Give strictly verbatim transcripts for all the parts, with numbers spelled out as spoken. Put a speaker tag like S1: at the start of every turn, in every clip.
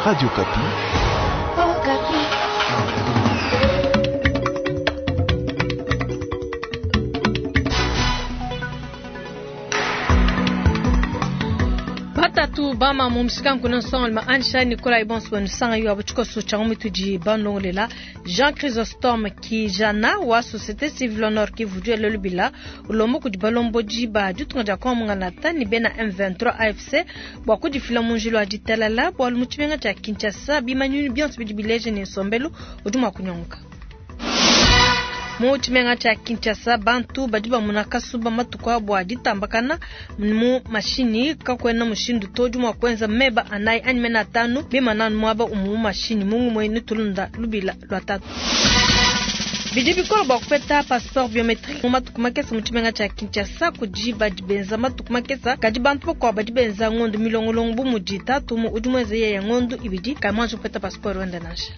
S1: Radio Okapi.
S2: Batatu bama mu mushikanku na nsonga Ansha Nicolas Ibonso wenu yo abuchikoso cha mutudi banongolela Jean Chrysostome Kijana wa Société Civile Nord Kivu du lelubila ulombo kudi balomboji ba ditunga dia kwa tani bena M vingt-trois A F C bwa kudifila munjilo wa ditalala bwa mu tshimenga tshia Kinshasa bimanyunu bionso bidi bileje ne nsombelu udi mua kunyonga. Mu tshimenga tshia Kinshasa bantu badi bamuna kasuba matuku abo ditambakana mu mashini kakwena mushindu to udi mua kuenza meba anayi anyi mena atanu bimana muaba umu mashini mungu mwenu tulunda lubila lwa tatu. Bidi bikolo bwa kupeta passeport biometrique mu matuku makesa mu tshimenga tshia Kinshasa kudi badi benza matuku makesa kadi bantu bakuabu badi benza ngondo milongolongo bu mudi tatu mu udi muenze yeye ngondo ibidi kamwanji kupeta passeport wenda nansha.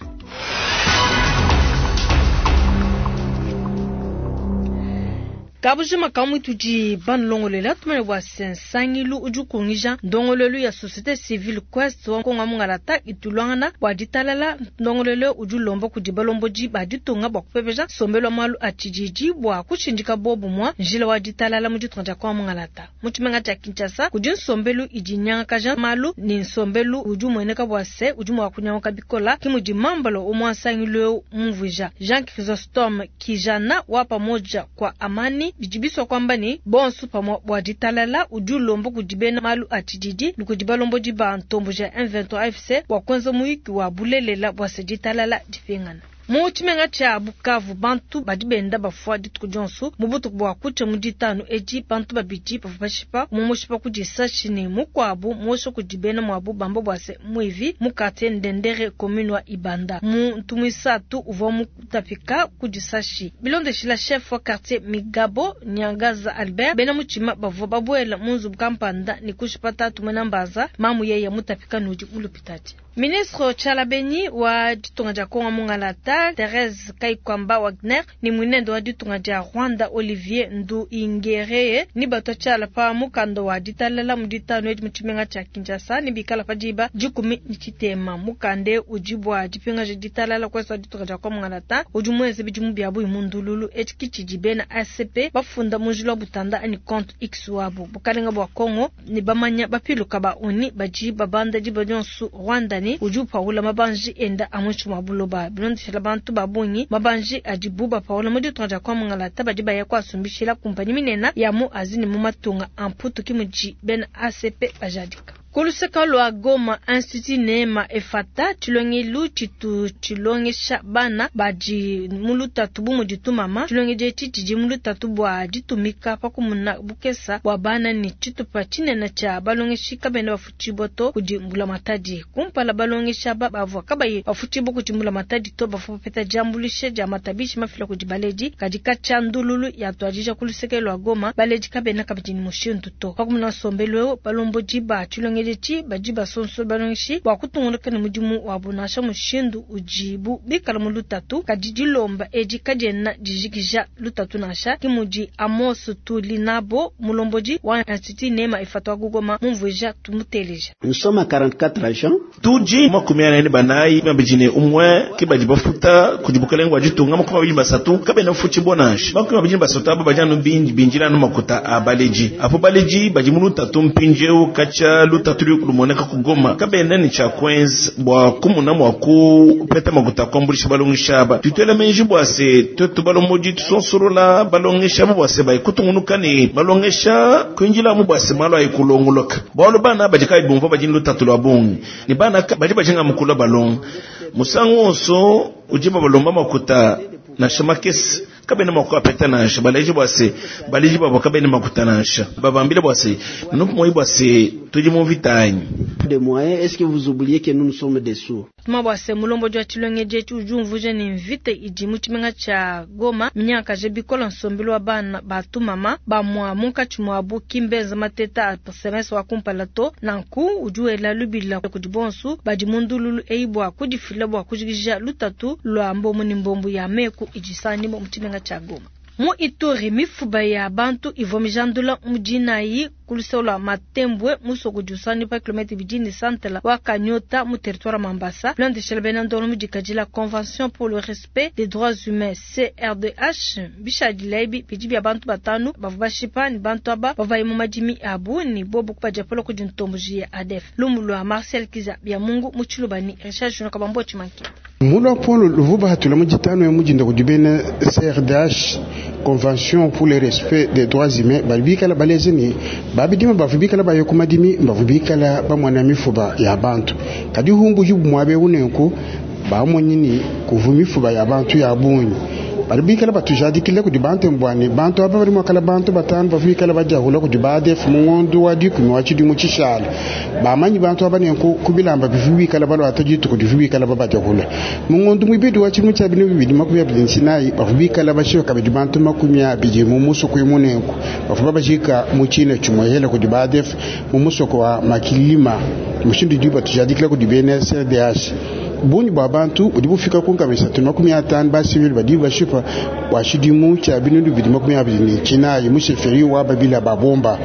S2: Kabujima kamwe tudi banlongolela tumene bwa sensangilu udi kungija ndongolelu ya société civile quest wa konga mungalata itulwangana bwa ditalala ndongolelu udi lomba kudi balomboji ba ditunga bwa kupepeja sombelo malu a tshididi bwa kushindika bobu mwa njila wa ditalala mu ditunga dia konga mungalata mu tshimenga tshia Kinshasa kudi nsombelu idi nyangakaja malu ni nsombelu udi umueneka bwa se udi mua kunyanguka bikola ki mudi mambalo umwa nsangilu mumvuija Jean Chrysostome Kijana wa pamoja kwa amani bijibiswa kwamba ni bonsu pamwa bwa ditalala udi ulomba kudi bena malu a tshididi ni kudi balomboji ba ntombo ja M vingt-trois A F C bwa kuenza muyiki wa bulelela bwa se ditalala dipingana. Mu tshimenga tshia Bukavu bantu badi benda bafua dituku dionso mu butuku bwa kutsha mu ditanu edi bantu babidi bavua bashipa mu mushipa kudi sashi ne mukuabu muosha kudi bena muabu bamba bwa se muivi mu quartier Ndendere commune wa Ibanda muntu muisatu uvua mutapika kudi sashi bilondeshila chef wa quartier Migabo Nyangaza Albert bena mutshima bavua babuela mu nzubu kampanda ne kushipa tatu muena mbanza mamu yeye mutapika nudi mulupitadi. Ministre Tchalabeni wa ditunga dia Kongo Mungalata Thérèse Kayikwamba Wagner ni mwinendo wa ditunga dia Rwanda Olivier Nduhungirehe ni bato tshala pa mukanda wa ditalala mu ditanu edi mu tshimenga tshia Kinshasa ni bikala pa diba dikumi ni tshitema mukande udi bua dipingaja ditalala kwesa ditunga dia Kongo Mungalata udi muenze bidimu bia buyi mundululu edi kitshidi bena A C P bafunda munjila wa butanda ani compte X wabo bukalenga bua Kongo ni bamanya bapiluka ba oni badi babanda diba dionso Rwanda ni udi upawula mabanji enda amunshi mwa buloba bilondeshela bantu babungi mabanji adibu bapawula mu ditunga dia Kongo Mungalata badi baya kwasumbishila kumpanyi minene ya mu azini mu matunga amputu ki mudi bena A C P bajadika. Kuluseka lwa Goma Institut Neema Efata tshilongelu tshitu tshilongesha bana badi mu lutatu bu mudi tumama tshilongedi etshi tshidi mu lutatu bua ditumika pakumuna bukesa bua bana ni tshitupa tshinene tshia balongeshi kabena bafutshibua to kudi mbulamatadi kumpala balongesha ba bavua kabayi bafutshibua kudi mbulamatadi to bavua bapeta diambuluisha dia matabishi mafila kudi baledi kadi katshia ndululu yatuadija kuluseke lwa Goma baledi kabena kabidi ni mushindu to pakumuna nsombelu eu balombodi ba tshilongedi badi basonso balongeshi bua kutunguluka ne mudimu wabu nansha mushindu udibu bikala mu lutatu kadi dilomba edi kadiena dijikija lutatu nansha ki mudi Amos Tulinabo mulombodi wa Institut Neema Efata wa Goma mumvuija tumuteleja.
S3: Nous sommes à quarante-quatre agents.
S4: Tuji makumi ane banayi mabijine umwe ki badi bafuta kudi bukalenga ditunga makumi abiri basatu kabena fuchi bonashi makumi abiri basatu abo bajanu binji binjira no makuta abaleji apo baleji badi mu lutatu mpinjeu kacha lutatu tuli lumoneka kugoma kabena ni cha kwenza bwa kumuna mwa kupeta makuta kwambulisha balongesha ba tutwele menji bwa se tutu balomboji tusonsorola balongesha bwa se bai kutungunuka ni balongesha kwinjila mu bwa se malo ayikulongoloka bwalo bana badi kai bumva badi lutatu lwa bungi ni bana badi bajinga mukula balong musango onso ujiba balomba makuta na shamakesi kabena makuta peta nansha baleji bwa se baleji babo kabena makuta nansha babambile bwa se nupu moyi bwa se tudi mu vitanyi
S3: de moyens est-ce que vous oubliez que nous nous sommes des sourds
S2: Tuma bwa se mulomboji wa tshilongedi etshi udi umvuija ne mvita idi mu tshimenga tshia Goma minyaka je bikola nsombelu wa bana batumama bamwa munkatshi muabu kimbenza mateta a semestre wa kumpala to nanku udi wela lubila kudi bonsu badi mundululu eyi bua kudifila bua kujikija lutatu lua mbombo ne mbombo ya meku idi sanimo mu tshimenga tshia Goma. Mu Ituri, mifuba ya bantu ivua mijandula mu dinayi ku luseke lua Matembwe musoko udi usanganyibua pa kilomètre ibidi ne santala wa Kanyota mu territoire Mambasa. Bilondeshile bena ndongo mu dikadila Convention pour le respect des droits humains C R D H bishadile ebi bidi bia bantu batanu bavua bashipa ne bantu aba bavua mu madimi abu ne bobu kubadiapula kudi ntomboji ya A D F. Lumu lua Marcel Kiza bia Mungu mu Tshiluba ni Richard Junior Kabambo Tshimanki.
S1: Mulwa polo luvuba hatula mu ditano ya mujinda kudi bena C R D H Convention pour le respect des droits humains balibikala baleze ni babidima bavubikala bayo ku madimi bavubikala bamwana mifuba ya bantu kadi humbu jubu mwabe unenku bamonyi kuvu mifuba ya bantu ya bunyi balibikala batujadikile kudi bantu mbwani bantu aba bali mwakala bantu batanu bavubikala bajahula kudi ba A D F mu ngondo wa dikumi wa tshidimu tshishala bamanyi bantu aba nenku kubilamba bivubikala balwata dituku divubikala babajahula mu ngondo mwibidi wa tshidimu tshia binu bibidi makumi abidi nsinayi bavubikala bashiwe kabidi bantu makumi abidi mu musoko imu nenku bavuba bajika mu tshina tshimwehela kudi ba A D F mu musoko wa Makilima mushindu di batujadikile kudi B N C D H bunyi bwa bantu budi bufika ku nkama isatu makumi atanu ba civil badi bashipa bwa tshidimu tshia binunu bibidi makumi abidi ne tshinayi mu sheferi wa babila babomba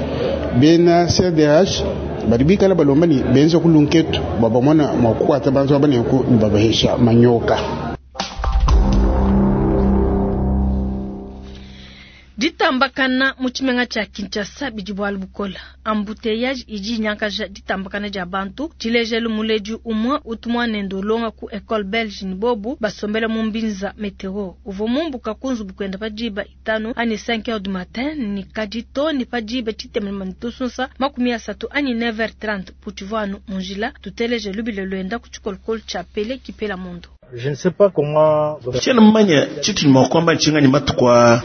S1: bena C D H badi bikala balomba ni benza ku lunketu bwa bamona mwa kukwata bantu aba nenku ne babahesha manyoka.
S2: Ditambakana mu tshimenga tshia Kinshasa bidi bualu bukola. Embouteillage idi nyankaja ditambakana dia bantu. Tshilejelu muledi umwe utumwa nende ulonga ku école belge ni bobu basombela mu Mbinza Meteo. Uvua mumbuka ku nzubu kuenda pa diba itanu ani cinq heures du matin ni kadito ni pa diba tshitemema ni tusunsa makumi asatu ani neuf heures trente putshivua anu mu njila. Tuteleje lubile luenda ku tshikolokolo tshia Pele Kipela Mondo.
S5: Je ne sais pas comment.
S4: Tshiena mmanya tshitu mua kuamba ntshinganyi matuku aa.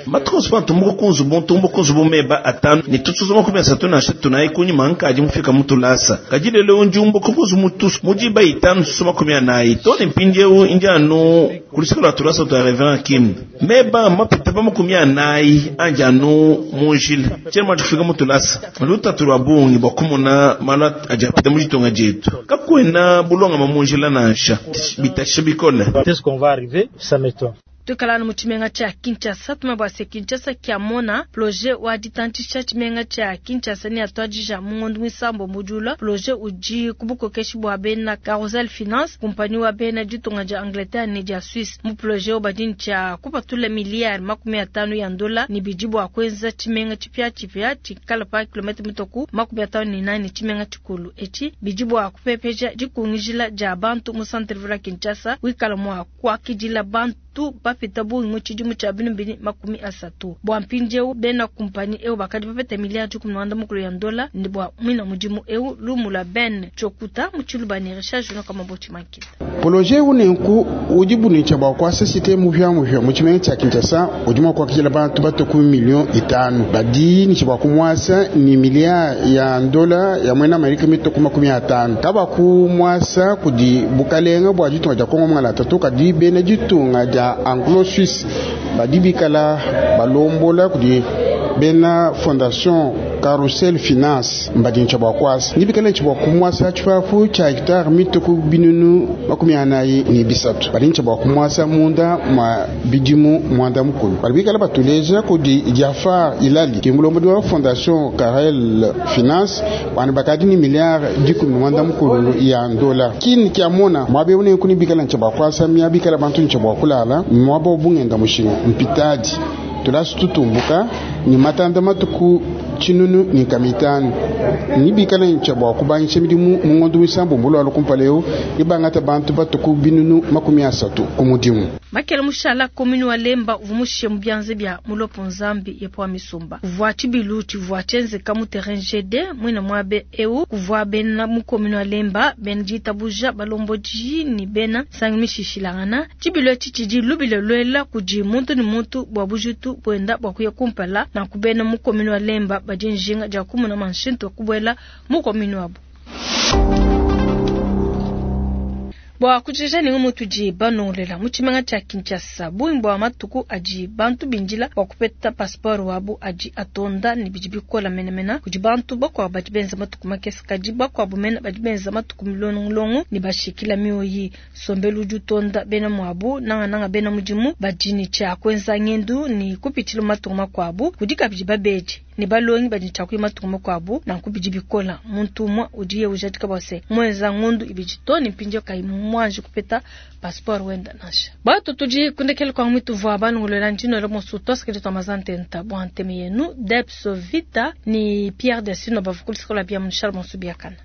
S4: Matuku onso pantu mbuka ku nzubu, ntumbuka ku nzubu meba atanu, ne tutuzu makumi asatu na asatu na kunyima nkadi mufika mutulasa. Kadi lelo ndi umbuka ku nzubu mutusu, mu diba itanu tusu makumi anayi. To ne mpindiewu ndi anu ku luseke lua tulasa tua Reverend Kim. Meba mapita pa makumi anayi andi anu mu njila. Tshiena mua kufika mutulasa. Lutatu lua bungi bua kumona malu adi apita mu ditunga dietu. Kakuena bulongama mu njila nansha. Bitashe bikole.
S5: Est-ce qu'on va arriver? Ça m'étonne.
S2: Tukalana mu tshimenga tshia Kinshasa, tumabwa se Kinshasa kia mona projet wa ditantisha tshimenga tshia Kinshasa ni atwadija mu ngondo mwisambo mujula projet udi kubukokeshi bwa bena Carousel Finance compagnie wa bena ditunga dia Angleterre ne dia Suisse mu projet obadini tshia kupatula milliard makumi atanu ya ndola ni bidi bwa kwenza tshimenga tshipia tshipia tshikala pa kilomètre mitoku makumi atanu ni nane tshimenga tshikulu echi bidi bwa kupepeja dikungijila dia bantu mu centre ville Kinshasa wikala mwa kwakidila bantu tu bapita bungi mu tshidimu tshia binu bini makumi asatu bua mpindieu bena kumpani eu bakadi bapeta miliyari dikumi na mukulu ya ndola ne bua mwina mudimu eu lumula ben tchokuta mu tshiluba ne Richard Junior Kamaboti Mankita.
S1: Projet unenku udi bunicha bua kuasa cité mupya mupya mu tshimenga tshia Kinshasa udi mua kuakidila bantu bato ku million itanu badi ni bua kumuasa ni miliyari ya ndola ya mwena Amerika mito ku makumi atanu kaba kumuasa kudi bukalenga bua ditunga dia Kongo mungala tatu kadi bena ditunga dia Anglo-Suisse badi bikala balombola kudi bena Fondation Carousel Finance mbadi bua kwasa ni bikala bua kumwasa tshipapu tshia hectare mito ku binunu makumi anayi ni bisatu badi bua kumwasa munda mwa bidimu mwanda mukulu badi bikala batuleja kudi Jafar Ilali kimulombo wa Fondation Carel Finance bana bakadi ni milliard dikumi mwanda mukulu ya ndola kini kya mona mwabe une kuni bikala bua kwasa mia bikala bantu bua kulala mwabo bungenda mushinga mpitadi tulasu tutumbuka ni matanda matuku tshinunu ni kamitanu ni bikala ncha bua kubangisha midimu mu ngondo misambo mbulwalo kumpaleo ibangata bantu batuku binunu makumi asatu ku mudimu.
S2: Makele mushala komini wa Lemba uvumushe mu byanze bya mulopo nzambi yepo misumba kuvua tshibilu tshivua tshienzeka mu terrain G D mwina mwabe eu kuvua bena mu komini wa Lemba bena ditabuja balomboji ni bena sangi mishishilangana tshibilu etshi tshidi lubile lwela kudi muntu ni muntu bua bujitu bwenda bua kuya kumpala na kubena mu komini wa Lemba badi njinga dia kumuna manshintu kubwela mu komini wabo. Bua kujikija ne ngumu tudi banongolela mu tshimenga tshia Kinshasa, bungi bua matuku adi bantu bindila bua kupeta passeport wabu adi atonda ne bidi bikola menemene kudi bantu bakuabu badi benza matuku makese, kadi bakuabu mena badi benza matuku milongolongo ne bashikila mioyi. Sombelu udi utonda bena muabu nangananga bena mudimu badi ne tshia kuenza ngendu ne kupitshila mu matuku makuabu. Kudi kabidi babedi ne balongi badi ne tshia kuya matuku makuabu, nanku bidi bikola. Muntu umue udiye ujadika bua se muenza ngondu ibidi to ne mpindieu kayi muanji kupeta passeport wenda nansha. Batu tudi kundekela kwa mwitu vua banongolola ndino monso toskedi twa mazantenta bua nteme yenu Debs Vita ni Pierre Desino bavukulisikola bia Charles Monsu biakana.